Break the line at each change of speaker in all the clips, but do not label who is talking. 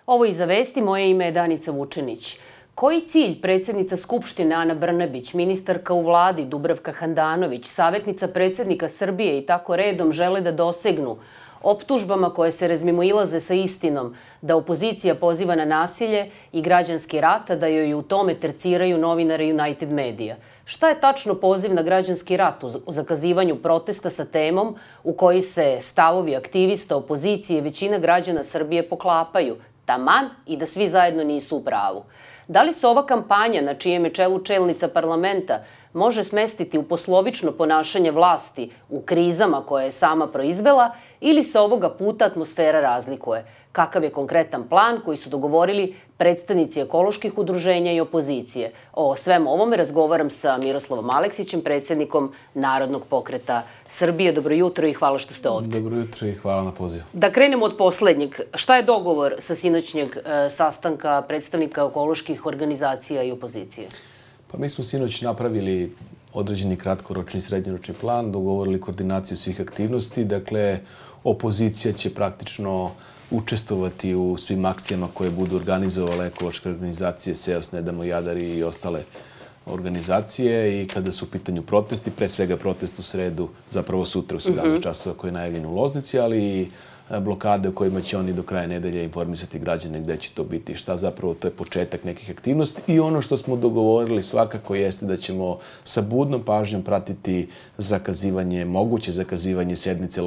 Ovo je Iza vesti, moje ime je Danica Vučenić. Koji cilj predsjednica Skupštine Ana Brnabić, ministarka u vladi Dubravka Handanović, savjetnica predsjednika Srbije i tako redom žele da dosegnu optužbama koje se razmimoilaze sa istinom da opozicija poziva na nasilje i građanski rat, a da joj u tome terciraju novinari United Media? Šta je tačno poziv na građanski rat u zakazivanju protesta sa temom u koji se stavovi aktivista opozicije i većina građana Srbije poklapaju, taman i da svi zajedno nisu u pravu? Da li se ova kampanja, na čijem je čelu čelnica parlamenta, može smestiti u poslovično ponašanje vlasti u krizama koje je sama proizvela ili se ovoga puta atmosfera razlikuje? Kakav je konkretan plan koji su dogovorili predstavnici ekoloških udruženja i opozicije? O svemu ovome razgovaram sa Miroslavom Aleksićem, predsjednikom Narodnog pokreta Srbije. Dobro jutro i hvala što ste ovdje.
Dobro jutro i hvala na pozivu.
Da krenemo od poslednjeg. Šta je dogovor sa sinoćnjeg sastanka predstavnika ekoloških organizacija i opozicije?
Pa mi smo sinoć napravili određeni kratkoročni i srednjoročni plan, dogovorili koordinaciju svih aktivnosti. Dakle, opozicija će praktično učestvovati u svim akcijama koje budu organizovale ekološke organizacije, SEOS, Ne damo Jadar i ostale organizacije. I kada su u pitanju protesti, pre svega protest u sredu, zapravo sutra u 17 časova koji je najavljen u Loznici, ali i blokade u kojima će oni do kraja nedelje informisati građane gde će to biti i šta. Zapravo to je početak nekih aktivnosti i ono što smo dogovorili svakako jeste da ćemo sa budnom pažnjom pratiti moguće zakazivanje sednice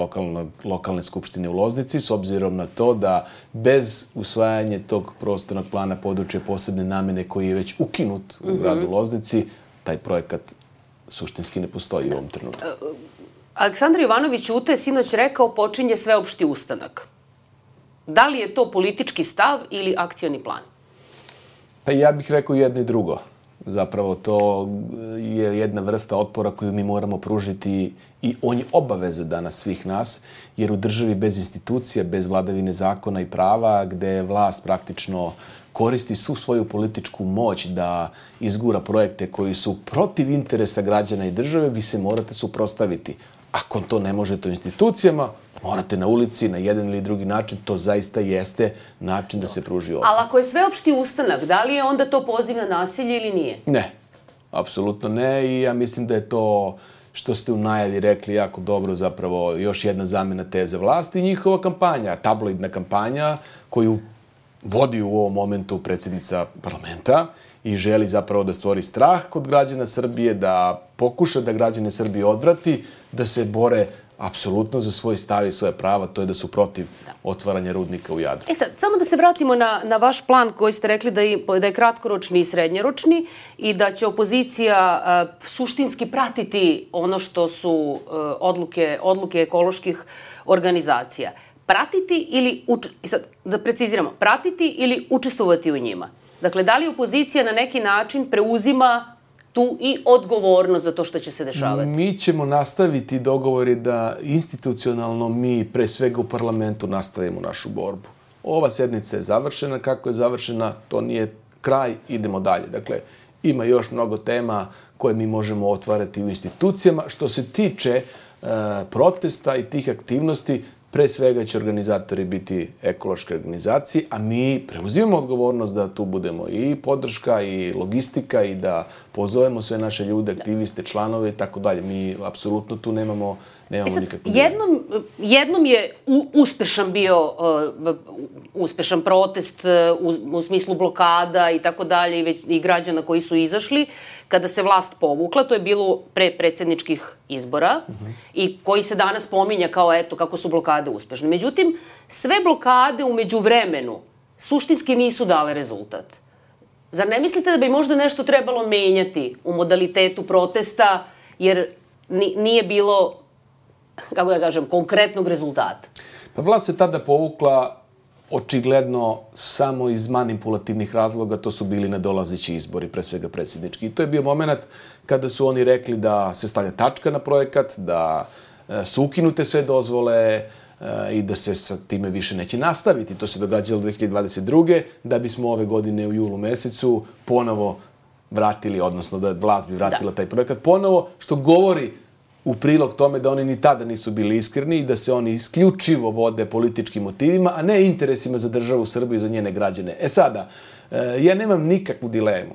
lokalne skupštine u Loznici, s obzirom na to da bez usvajanja tog prostornog plana područja posebne namene koji je već ukinut u gradu Loznici, taj projekat suštinski ne postoji u ovom trenutku.
Aleksandar Jovanović Ćute sinoć rekao počinje sveopšti ustanak. Da li je to politički stav ili akcioni plan?
Pa ja bih rekao jedno i drugo. Zapravo to je jedna vrsta otpora koju mi moramo pružiti i on je obaveza danas svih nas, jer u državi bez institucija, bez vladavine zakona i prava, gde vlast praktično koristi svu svoju političku moć da izgura projekte koji su protiv interesa građana i države, vi se morate suprotstaviti. Ako to ne možete u institucijama, morate na ulici, na jedan ili drugi način. To zaista jeste način da se pruži otpor.
Ali ako je sveopšti ustanak, da li je onda to poziv na nasilje ili nije?
Ne, apsolutno ne. I ja mislim da je to što ste u najavi rekli jako dobro, zapravo još jedna zamena teze vlasti i njihova kampanja, tabloidna kampanja koju vodi u ovom momentu predsjednica parlamenta i želi zapravo da stvori strah kod građana Srbije, da pokuša da građane Srbije odvrati, da se bore apsolutno za svoj stav i svoje prava, to je da su protiv otvaranja rudnika u Jadru.
Sad, samo da se vratimo na vaš plan koji ste rekli da je kratkoročni i srednjoročni i da će opozicija suštinski pratiti ono što su odluke ekoloških organizacija. Pratiti ili, sad da preciziramo, pratiti ili učestvovati u njima? Dakle, da li opozicija na neki način preuzima tu i odgovornost za to što će se dešavati?
Mi ćemo nastaviti dogovori da institucionalno mi pre svega u parlamentu nastavimo našu borbu. Ova sednica je završena. Kako je završena, to nije kraj, idemo dalje. Dakle, ima još mnogo tema koje mi možemo otvarati u institucijama. Što se tiče protesta i tih aktivnosti, pre svega će organizatori biti ekološke organizacije, a mi preuzimamo odgovornost da tu budemo i podrška i logistika i da pozovemo sve naše ljude, aktiviste, članove i tako dalje. Mi apsolutno tu nemamo nikakvu...
Jednom je uspešan protest u smislu blokada i tako dalje i građana koji su izašli kada se vlast povukla. To je bilo pre predsjedničkih izbora i koji se danas pominja kao eto kako su blokade uspešne. Međutim, sve blokade u međuvremenu suštinski nisu dale rezultat. Zar ne mislite da bi možda nešto trebalo menjati u modalitetu protesta jer nije bilo, kako da kažem, konkretnog rezultata?
Pa vlast se tada povukla očigledno samo iz manipulativnih razloga, to su bili nadolazeći izbori, pre svega predsjednički. I to je bio moment kada su oni rekli da se stavlja tačka na projekat, da su ukinute sve dozvole i da se sa time više neće nastaviti. To se događalo 2022. da bismo ove godine u julu mesecu ponovo vratili, odnosno da vlast bi vratila taj projekat ponovo, što govori u prilog tome da oni ni tada nisu bili iskreni i da se oni isključivo vode političkim motivima, a ne interesima za državu Srbiju i za njene građane. Sada, ja nemam nikakvu dilemu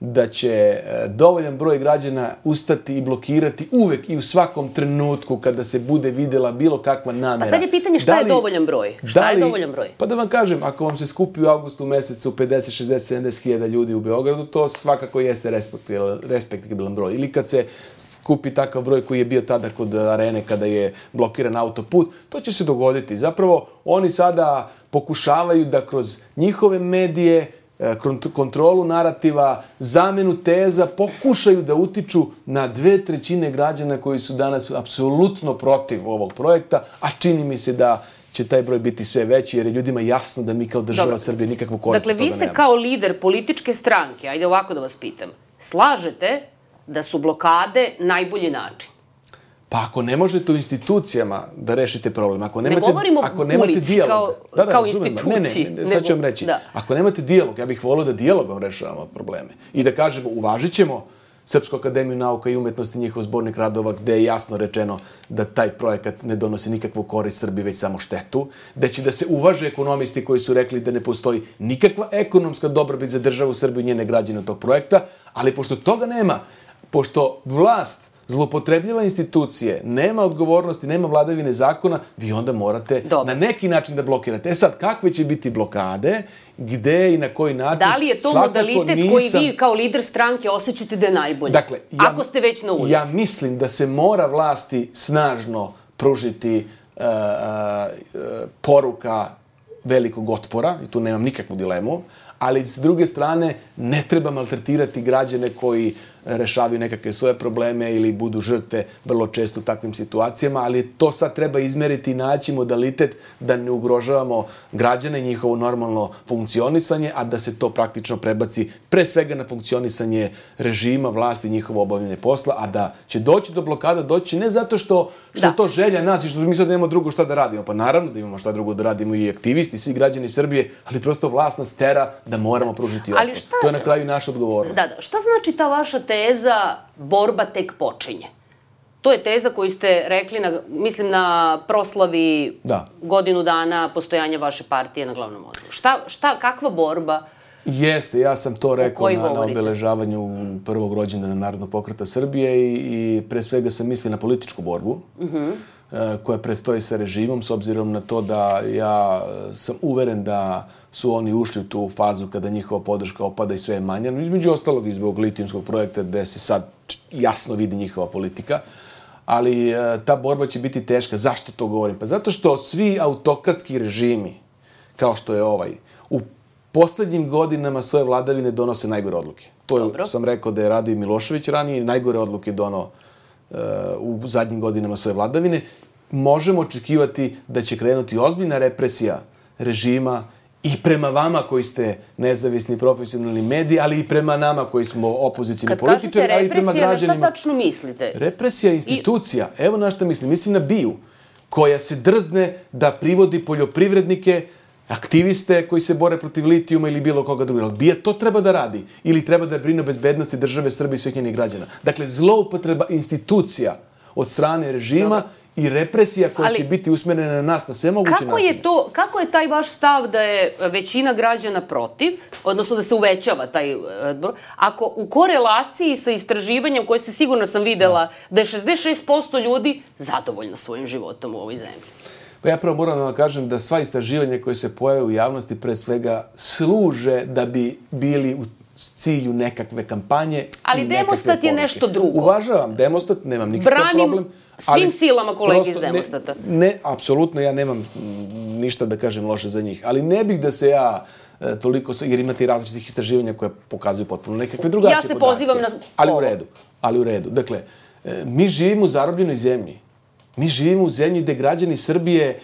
da će dovoljan broj građana ustati i blokirati uvek i u svakom trenutku kada se bude videla bilo kakva namera.
Pa sad je pitanje šta je dovoljan broj? Šta je dovoljan broj?
Pa da vam kažem, ako vam se skupi u avgustu mesecu 50, 60, 70 hiljada ljudi u Beogradu, to svakako jeste respektabilan broj. Ili kad se skupi takav broj koji je bio tada kod Arene kada je blokiran autoput, to će se dogoditi. Zapravo, oni sada pokušavaju da kroz njihove medije, kontrolu narativa, zamenu teza, pokušaju da utiču na 2/3 građana koji su danas apsolutno protiv ovog projekta, a čini mi se da će taj broj biti sve veći, jer je ljudima jasno da mi kao država Srbije nikakvu korist od toga nemamo.
Dakle, vi se kao lider političke stranke, ajde ovako da vas pitam, slažete da su blokade najbolji način?
Pa ako ne možete u institucijama da rešite problem, ako nemate,
ne govorimo
ulici
kao instituciji.
Ne, sad ću vam reći. Da. Ako nemate dijalog, ja bih volio da dijalogom rešavamo probleme. I da kažemo, uvažit ćemo Srpsku akademiju nauka i umetnosti, njihov zbornik radova, gde je jasno rečeno da taj projekat ne donosi nikakvu korist Srbiji, već samo štetu, da će da se uvaže ekonomisti koji su rekli da ne postoji nikakva ekonomska dobrobit za državu Srbiju i njene građane od tog projekta, ali pošto toga nema, pošto vlast zloupotrebljava institucije, nema odgovornosti, nema vladavine zakona, vi onda morate na neki način da blokirate. Sad, kakve će biti blokade, gde i na koji način?
Da li je to modalitet koji vi kao lider stranke osjećate da je najbolji?
Dakle,
ako ste već na ulici.
Ja mislim da se mora vlasti snažno pružiti poruka velikog otpora, i tu nemam nikakvu dilemu, ali s druge strane ne treba maltretirati građane koji rešavaju nekakve svoje probleme ili budu žrtve vrlo često u takvim situacijama, ali to sad treba izmeriti i naći modalitet da ne ugrožavamo građane, njihovo normalno funkcionisanje, a da se to praktično prebaci pre svega na funkcionisanje režima, vlasti, njihovo obavljanje posla, a da će doći do blokada, doći ne zato što to želja nas i što mi sad nemamo drugo šta da radimo. Pa naravno da imamo šta drugo da radimo i aktivisti, svi građani Srbije, ali prosto vlast nas tera da moramo pružiti otpor. To je na kraju naša odgovornost.
Da. Šta znači ta vaša teza borba tek počinje? To je teza koju ste rekli, mislim, na proslavi godinu dana postojanja vaše partije na glavnom odboru. Kakva borba?
Jeste, ja sam to rekao na obeležavanju prvog rođendana Narodnog pokreta Srbije i pre svega sam mislio na političku borbu koja predstoji sa režimom, s obzirom na to da ja sam uveren da su oni ušli u tu fazu kada njihova podrška opada i sve je manja, između ostalog i zbog litijumskog projekta gde se sad jasno vidi njihova politika, ali ta borba će biti teška. Zašto to govorim? Pa zato što svi autokratski režimi, kao što je ovaj, u poslednjim godinama svoje vladavine donose najgore odluke. To sam rekao da je radio i Milošević ranije i najgore odluke donao u zadnjim godinama svoje vladavine. Možemo očekivati da će krenuti ozbiljna represija režima i prema vama koji ste nezavisni profesionalni mediji, ali i prema nama koji smo opozicijni političari, ali i prema građanima.
Kad kažete represija, na šta tačno mislite?
Represija institucija. Evo na šta mislim. Mislim na BIA, koja se drzne da privodi poljoprivrednike, aktiviste koji se bore protiv litijuma ili bilo koga druga. Ali BIA to treba da radi. Ili treba da brine o bezbednosti države Srbije i svih njenih građana. Dakle, zloupotreba institucija od strane režima i represija koja će biti usmerena na nas na sve moguće načine.
Kako je taj vaš stav da je većina građana protiv, odnosno da se uvećava taj broj, ako u korelaciji sa istraživanjem koje ste sigurno sam videla da je 66% ljudi zadovoljno svojim životom u ovoj zemlji?
Pa ja prvo moram da vam kažem da sva istraživanja koje se pojave u javnosti pre svega služe da bi bili u cilju nekakve kampanje.
Ali demostat je nešto drugo.
Uvažavam demostat, nemam nikakav problem.
Svim silama kolege iz demostata.
Ne, apsolutno, ja nemam ništa da kažem loše za njih. Ali ne bih da se ja toliko, jer imate i različitih istraživanja koje pokazuju potpuno nekakve drugačije podatke.
Ja se pozivam na...
Ali u redu. Dakle, mi živimo u zarobljenoj zemlji. Mi živimo u zemlji gde građani Srbije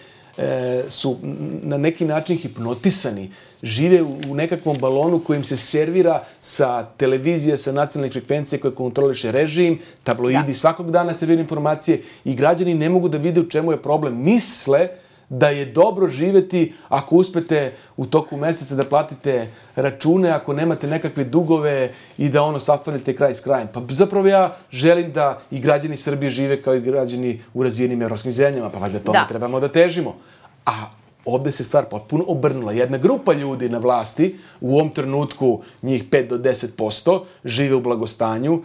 su na neki način hipnotisani, žive u nekakvom balonu kojim se servira sa televizije, sa nacionalnih frekvencije koje kontroliše režim, tabloidi svakog dana serviraju informacije i građani ne mogu da vide u čemu je problem. Misle da je dobro živeti ako uspete u toku meseca da platite račune, ako nemate nekakve dugove i da sastavljate kraj s krajem. Pa zapravo ja želim da i građani Srbije žive kao i građani u razvijenim evropskim zemljama, pa valjda tome trebamo da težimo. A ovde se stvar potpuno obrnula. Jedna grupa ljudi na vlasti, u ovom trenutku njih 5 do 10%, žive u blagostanju,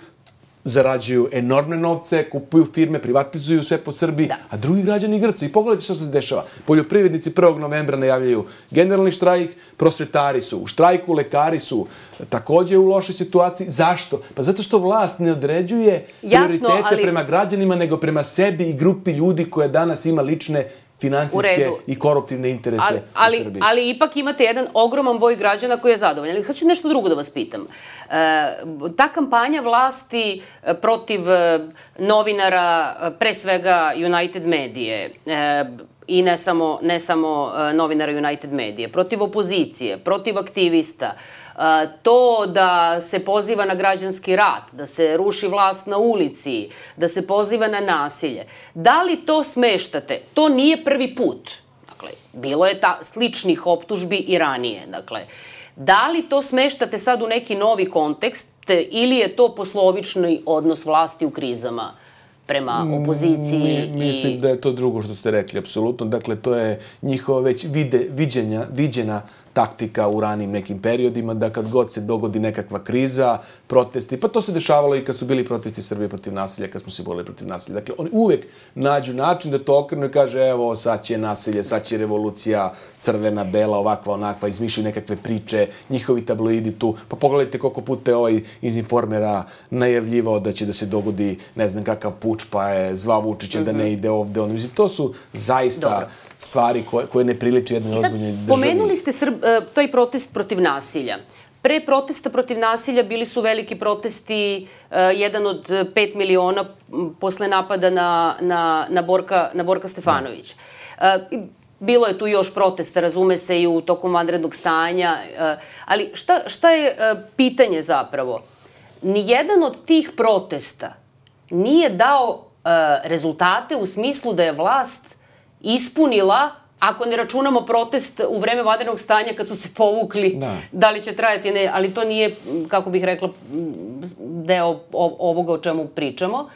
zarađuju enormne novce, kupuju firme, privatizuju sve po Srbiji, a drugi građani grcaju. I pogledajte što se dešava. Poljoprivrednici 1. novembra najavljaju generalni štrajk, prosvetari su u štrajku, lekari su takođe u lošoj situaciji. Zašto? Pa zato što vlast ne određuje prioritete prema građanima, nego prema sebi i grupi ljudi koja danas ima lične finansijske i koruptivne interese u Srbiji.
Ali ipak imate jedan ogroman broj građana koji je zadovoljan. Hoću nešto drugo da vas pitam. Ta kampanja vlasti protiv novinara, pre svega United Medije, i ne samo novinara United Medije, protiv opozicije, protiv aktivista, to da se poziva na građanski rat, da se ruši vlast na ulici, da se poziva na nasilje. Da li to smeštate? To nije prvi put. Dakle, bilo je sličnih optužbi i ranije. Dakle, da li to smeštate sad u neki novi kontekst ili je to poslovični odnos vlasti u krizama prema opoziciji?
Mislim da je to drugo što ste rekli, apsolutno. Dakle, to je njihova već viđena taktika u ranim nekim periodima, da kad god se dogodi nekakva kriza, protesti, pa to se dešavalo i kad su bili protesti Srbije protiv nasilja, kad smo se borili protiv nasilja. Dakle, oni uvek nađu način da to okrenu i kaže, evo, sad će nasilje, sad će revolucija, crvena, bela, ovakva, onakva, izmišljaju nekakve priče, njihovi tabloidi tu. Pa pogledajte koliko puta je iz Informera najavljivao da će da se dogodi, ne znam kakav puč, pa je zvao Vučića da ne ide ovde. Mislim, to su zaista stvari koje ne priliče jednoj ozbiljnoj državi.
Pomenuli ste taj protest protiv nasilja. Pre protesta protiv nasilja bili su veliki protesti, jedan od 5 miliona posle napada na Borka Stefanović. Bilo je tu još protesta, razume se, i u toku vanrednog stanja, ali šta je pitanje zapravo? Nijedan od tih protesta nije dao rezultate u smislu da je vlast ispunila, ako ne računamo protest u vreme vanrednog stanja kad su se povukli, da li će trajati, ne, ali to nije, kako bih rekla, deo ovoga o čemu pričamo,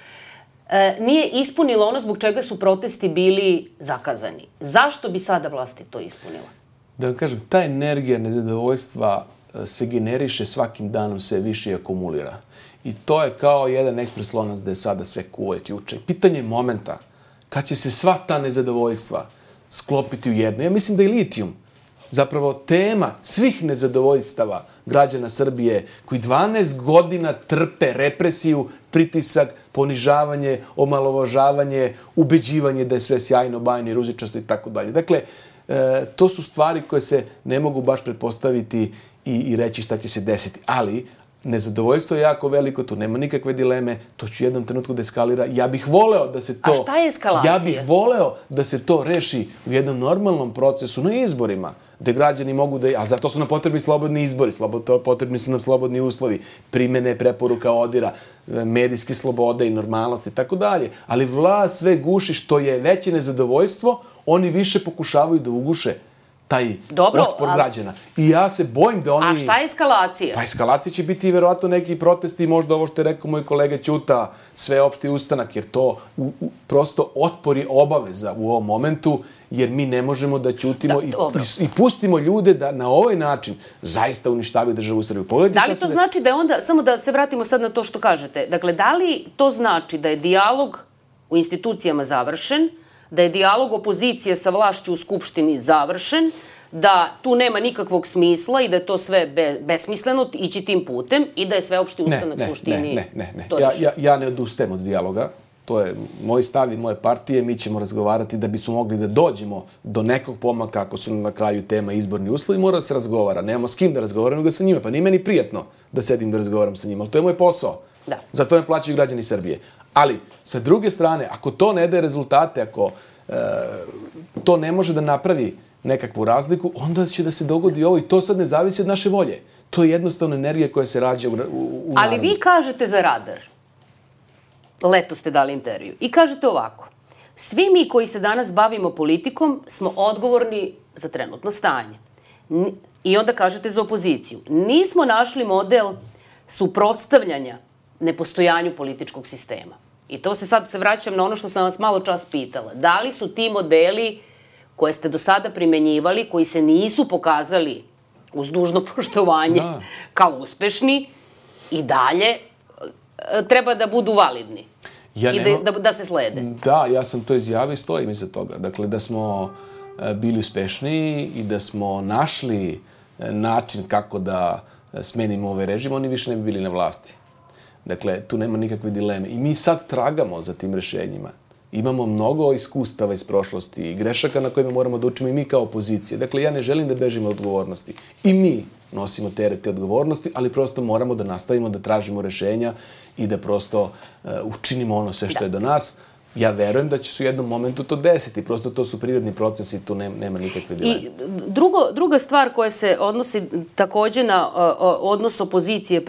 nije ispunila ono zbog čega su protesti bili zakazani. Zašto bi sada vlasti to ispunila?
Da vam kažem, ta energija nezadovoljstva se generiše svakim danom sve više i akumulira. I to je kao jedan ekspres lonac da je sada sve kuva i ključe. Pitanje momenta kad će se sva ta nezadovoljstva sklopiti u jedno. Ja mislim da je litijum zapravo tema svih nezadovoljstava građana Srbije koji 12 godina trpe represiju, pritisak, ponižavanje, omalovažavanje, ubeđivanje da je sve sjajno, bajno i ružičasto i tako dalje. Dakle, to su stvari koje se ne mogu baš pretpostaviti i reći šta će se desiti. Ali nezadovoljstvo je jako veliko, tu nema nikakve dileme, to će u jednom trenutku da eskalira. Ja bih voleo da se to...
A šta je eskalacija?
Ja bih voleo da se to reši u jednom normalnom procesu na izborima, gde građani mogu da... A zato su nam potrebni slobodni izbori, potrebni su nam slobodni uslovi, primene preporuka ODIR-a, medijske slobode i normalnost i tako dalje. Ali vlast sve guši, što je veće nezadovoljstvo, oni više pokušavaju da uguše taj otpor građana. I ja se bojim da oni...
A šta je eskalacija?
Pa eskalacija će biti verovatno neki protesti, možda ovo što je rekao moj kolega Ćuta, sveopšti ustanak, jer to prosto otpor je obaveza u ovom momentu, jer mi ne možemo da ćutimo i pustimo ljude da na ovaj način zaista uništavaju državu Srbiju.
Da li to znači da je onda, samo da se vratimo sad na to što kažete, dakle, da li to znači da je dijalog u institucijama završen, da je dijalog opozicije sa vlašću u Skupštini završen, da tu nema nikakvog smisla i da je to sve besmisleno ići tim putem i da je sveopšti ustanak suštini...
Ne. Ja ne odustajem od dijaloga. To je moj stav i moje partije. Mi ćemo razgovarati da bismo mogli da dođemo do nekog pomaka ako su na kraju tema izborni uslovi. Mora da se razgovara. Nemamo s kim da razgovaram, nego sa njima. Pa nije meni prijatno da sedim da razgovaram sa njima. Ali to je moj posao. Za to me plaćaju građani Srbije. Ali, sa druge strane, ako to ne daje rezultate, ako to ne može da napravi nekakvu razliku, onda će da se dogodi ovo i to sad ne zavisi od naše volje. To je jednostavno energija koja se rađa u narodu.
Ali vi kažete za Radar, leto ste dali intervju, i kažete ovako: Svi mi koji se danas bavimo politikom smo odgovorni za trenutno stanje. I onda kažete za opoziciju. Nismo našli model suprotstavljanja nepostojanju političkog sistema. I to sad se vraćam na ono što sam vas malo čas pitala. Da li su ti modeli koje ste do sada primenjivali, koji se nisu pokazali uz dužno poštovanje kao uspešni, i dalje treba da budu validni i da se slede?
Da, ja sam to izjavio i stojim iza toga. Dakle, da smo bili uspešniji i da smo našli način kako da smenimo ovaj režim, oni više ne bi bili na vlasti. Dakle, tu nema nikakve dileme. I mi sad tragamo za tim rešenjima. Imamo mnogo iskustava iz prošlosti i grešaka na kojima moramo da učimo i mi kao opozicija. Dakle, ja ne želim da bežimo od odgovornosti. I mi nosimo terete odgovornosti, ali prosto moramo da nastavimo da tražimo rešenja i da prosto učinimo ono sve što je do nas. Ja verujem da će se u jednom momentu to desiti. Prosto to su prirodni procesi i tu nema nikakve dileme.
I druga stvar koja se odnosi takođe na odnos opozicije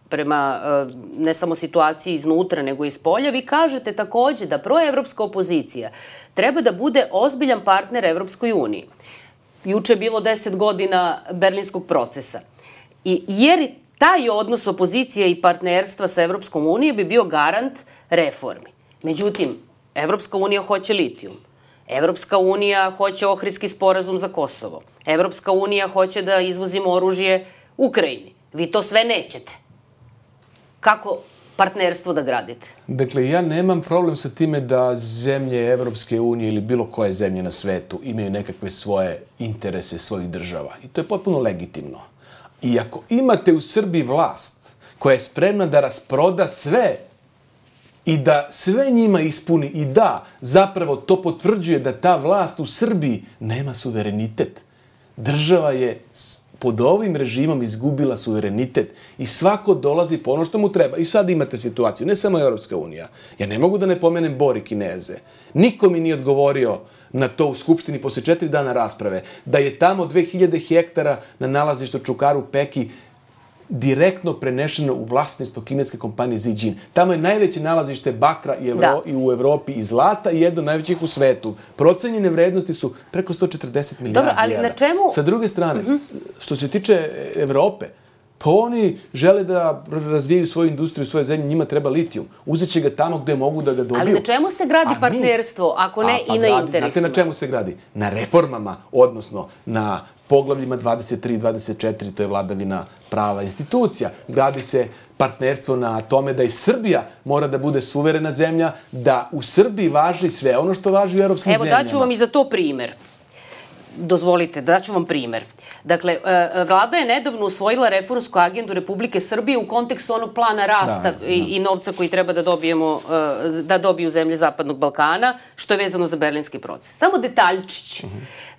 prema ne samo situaciji iznutra, nego i spolja, vi kažete takođe da proevropska opozicija treba da bude ozbiljan partner Evropskoj uniji. Juče je bilo 10 godina berlinskog procesa. Jer taj odnos opozicije i partnerstva sa Evropskom unijom bi bio garant reformi. Međutim, Evropska unija hoće litijum. Evropska unija hoće Ohridski sporazum za Kosovo. Evropska unija hoće da izvozimo oružje Ukrajini. Vi to sve nećete. Kako partnerstvo da gradite?
Dakle, ja nemam problem sa time da zemlje Evropske unije ili bilo koje zemlje na svetu imaju nekakve svoje interese svojih država. I to je potpuno legitimno. I ako imate u Srbiji vlast koja je spremna da rasproda sve i da sve njima ispuni i da zapravo to potvrđuje da ta vlast u Srbiji nema suverenitet. Država je pod ovim režimom izgubila suverenitet i svako dolazi po ono što mu treba. I sad imate situaciju, ne samo Evropska unija. Ja ne mogu da ne pomenem Bor i Kineze. Niko mi nije odgovorio na to u Skupštini posle 4 dana rasprave, da je tamo 2000 hektara na nalazištu Čukaru Peki direktno prenešeno u vlasništvo kineske kompanije Zijin. Tamo je najveće nalazište bakra i u Evropi i zlata i jedno od najvećih u svetu. Procenjene vrednosti su preko 140 milijardi evra.
Ali na čemu?
Sa druge strane, što se tiče Evrope, pa oni žele da razvijaju svoju industriju, svoje zemlje, njima treba litijum. Uzet će ga tamo gde mogu da ga dobiju.
Ali na čemu se gradi partnerstvo, ako ne i na interesima?
Znate na čemu se gradi? Na reformama, odnosno na poglavljima 23 i 24, to je vladavina prava institucija. Gradi se partnerstvo na tome da i Srbija mora da bude suverena zemlja, da u Srbiji važi sve ono što važi u evropskim zemljama.
Evo, daću vam i za to primer. Dozvolite, daću vam primer. Dakle, vlada je nedavno usvojila reformsku agendu Republike Srbije u kontekstu onog plana rasta i novca koji treba da dobiju zemlje Zapadnog Balkana, što je vezano za berlinski proces. Samo detaljčić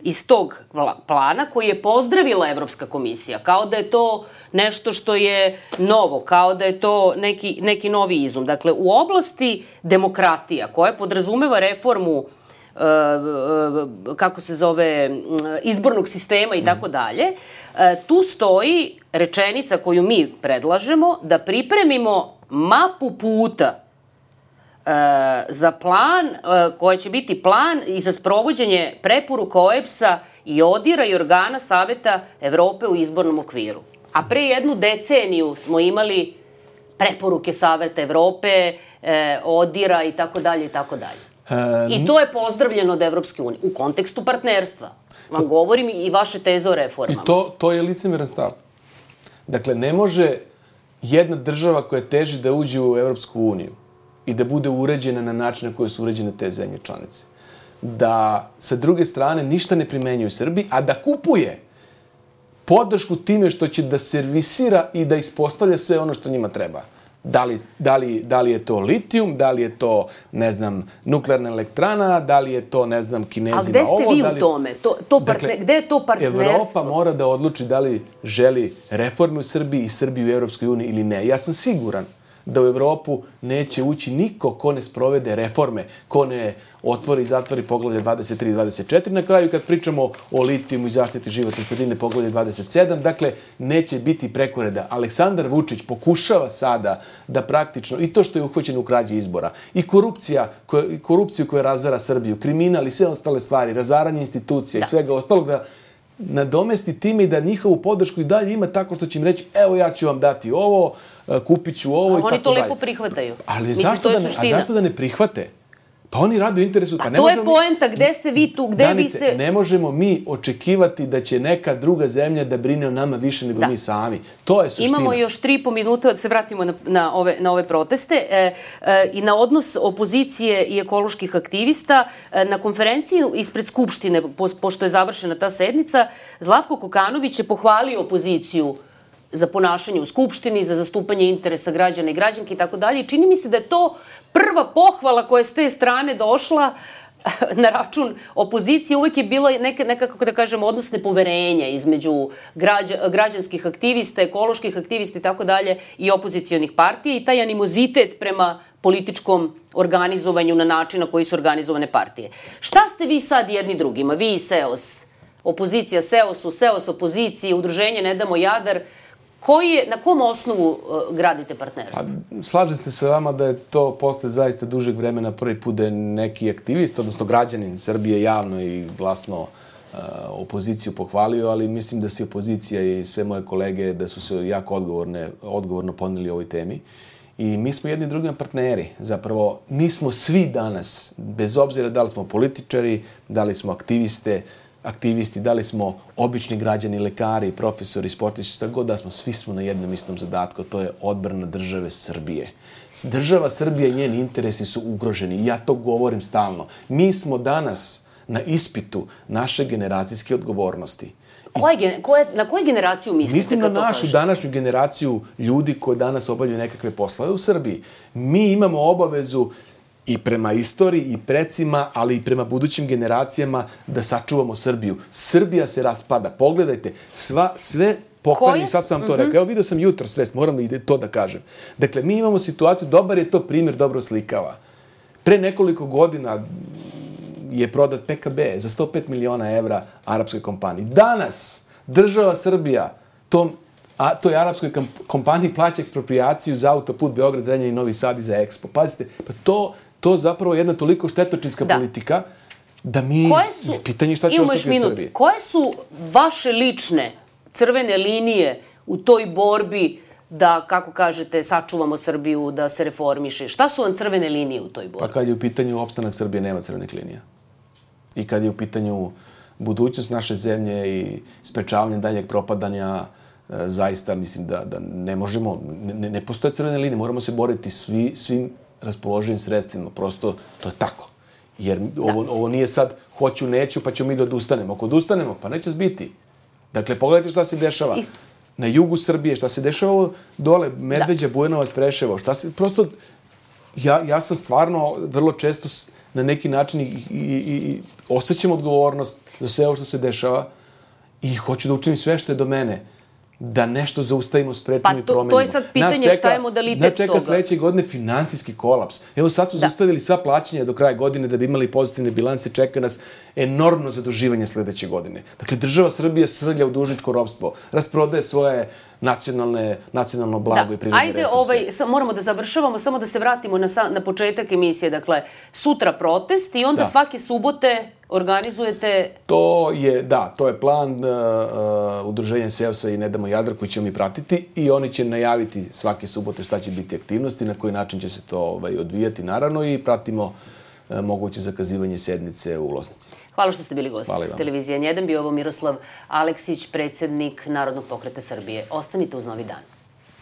iz tog plana koji je pozdravila Evropska komisija, kao da je to nešto što je novo, kao da je to neki novi izum. Dakle, u oblasti demokratija koja podrazumeva reformu kako se zove, izbornog sistema i tako dalje, tu stoji rečenica koju mi predlažemo da pripremimo mapu puta za plan, koja će biti plan i za sprovođenje preporuka OEBS-a i ODIR-a i organa Saveta Evrope u izbornom okviru. A pre 1 deceniju smo imali preporuke Saveta Evrope, ODIR-a i tako dalje i tako dalje. I to je pozdravljeno od Evropske unije u kontekstu partnerstva. Vam govorim i vaše teze o reformama.
I to je licemeran stav. Dakle, ne može jedna država koja teži da uđe u Evropsku uniju i da bude uređena na način na koji su uređene te zemlje članice, da sa druge strane ništa ne primenjuje u Srbiji, a da kupuje podršku time što će da servisira i da ispostavlja sve ono što njima treba. Da li je to litijum, da li je to, ne znam, nuklearna elektrana, da li je to, ne znam, Kinezima ovo.
A gde ste vi u tome? Gde je to partnerstvo?
Evropa mora da odluči da li želi reforme u Srbiji i Srbiju u Evropskoj uniji ili ne. Ja sam siguran da u Evropu neće ući niko ko ne sprovede reforme, ko ne otvori i zatvori poglavlje 23 i 24. Na kraju, kad pričamo o litijumu i zaštiti životne sredine, poglavlje 27, dakle, neće biti prekoreda. Aleksandar Vučić pokušava sada da praktično, i to što je uhvaćen u krađi izbora, i korupciju koja razara Srbiju, kriminal i sve ostale stvari, razaranje institucija i svega ostalog, da nadomesti time i da njihovu podršku i dalje ima tako što će im reći, evo ja ću vam dati ovo, kupit ću ovo i tako dalje.
Oni to lepo prihvataju.
Ali zašto da ne prihvate? Pa oni rade u interesu.
Pa to je poenta, gde ste vi tu, gde vi se...
Ne možemo mi očekivati da će neka druga zemlja da brine o nama više nego mi sami. To je suština.
Imamo još 3,5 minuta da se vratimo na ove proteste i na odnos opozicije i ekoloških aktivista. Na konferenciji ispred Skupštine, pošto je završena ta sednica, Zlatko Kokanović je pohvalio opoziciju za ponašanje u Skupštini, za zastupanje interesa građana i građanki i tako dalje. Čini mi se da je to prva pohvala koja je s te strane došla na račun opozicije. Uvijek je bilo nekako, da kažem, odnos nepoverenja između građanskih aktivista, ekoloških aktivista i tako dalje i opozicijonih partija i taj animozitet prema političkom organizovanju na način na koji su organizovane partije. Šta ste vi sad jedni drugima? Vi i SEOS, opozicija SEOS-u, SEOS opoziciji, udruženje Ne damo Jadar, na kom osnovu gradite partnerstvo?
Slažem se sa vama da je to posle zaista dužeg vremena prvi put da je neki aktivist, odnosno građanin Srbije javno i glasno opoziciju pohvalio, ali mislim da se opozicija i sve moje kolege da su se jako odgovorno poneli ovoj temi. I mi smo jedni drugima partneri. Zapravo, mi smo svi danas, bez obzira da li smo političari, da li smo aktivisti, da li smo obični građani, lekari, profesori, sportisti, šta god da smo, svi smo na jednom istom zadatku, to je odbrana države Srbije. Država Srbije i njeni interesi su ugroženi i ja to govorim stalno. Mi smo danas na ispitu naše generacijske odgovornosti.
Na koju generaciju mislite?
Mislim na našu današnju generaciju ljudi koji danas obavljaju nekakve poslove u Srbiji. Mi imamo obavezu i prema istoriji i precima, ali i prema budućim generacijama da sačuvamo Srbiju. Srbija se raspada. Pogledajte, sve pokvarni, sad sam to rekao. Evo vidio sam jutro svest, moram i to da kažem. Dakle, mi imamo situaciju, dobar je to primjer, dobro slikava. Pre nekoliko godina je prodat PKB za 105 miliona evra arapskoj kompaniji. Danas država Srbija toj arapskoj kompaniji plaća eksproprijaciju za autoput Beograd, Zrenjanin, Novi Sad i za Expo. Pazite, pa to zapravo je jedna toliko štetočinska politika da pitanje šta će ostati u Srbiji.
Koje su vaše lične crvene linije u toj borbi da, kako kažete, sačuvamo Srbiju, da se reformiše? Šta su vam crvene linije u toj borbi?
Pa kad je u pitanju opstanak Srbije, nema crvenih linija. I kad je u pitanju budućnost naše zemlje i sprečavanje daljeg propadanja, zaista mislim da ne možemo, ne postoje crvene linije, moramo se boriti svim raspoloživim sredstvima, prosto to je tako. Jer ovo nije sad hoću, neću, pa ćemo mi da odustanemo. Ako odustanemo, pa neće zbiti. Dakle, pogledajte šta se dešava na jugu Srbije, šta se dešava dole, Medveđa, Bujanovac, Preševo, prosto, ja sam stvarno vrlo često na neki način i osjećam odgovornost za sve ovo što se dešava i hoću da učinim sve što je do mene da nešto zaustavimo, sprečimo i promenimo.
Pa to je sad pitanje šta je modalitet toga.
Nas čeka sledeće godine finansijski kolaps. Evo sad su zaustavili sva plaćanja do kraja godine da bi imali pozitivne bilanse. Čeka nas enormno zaduživanje sledeće godine. Dakle, država Srbije srlja u dužničko ropstvo, rasprodaje svoje nacionalno blago i prirodne resurse.
Ajde, moramo da završavamo, samo da se vratimo na početak emisije. Dakle, sutra protest i onda svake subote organizujete...
To je plan udruženja SEOS-a i Ne damo Jadar koji ćemo mi pratiti i oni će najaviti svake subote šta će biti aktivnosti, na koji način će se to odvijati, naravno, i pratimo moguće zakazivanje sednice u Losnici.
Hvala što ste bili gosti televizije N1. Bio ovo Miroslav Aleksić, predsjednik Narodnog pokreta Srbije. Ostanite uz Novi dan.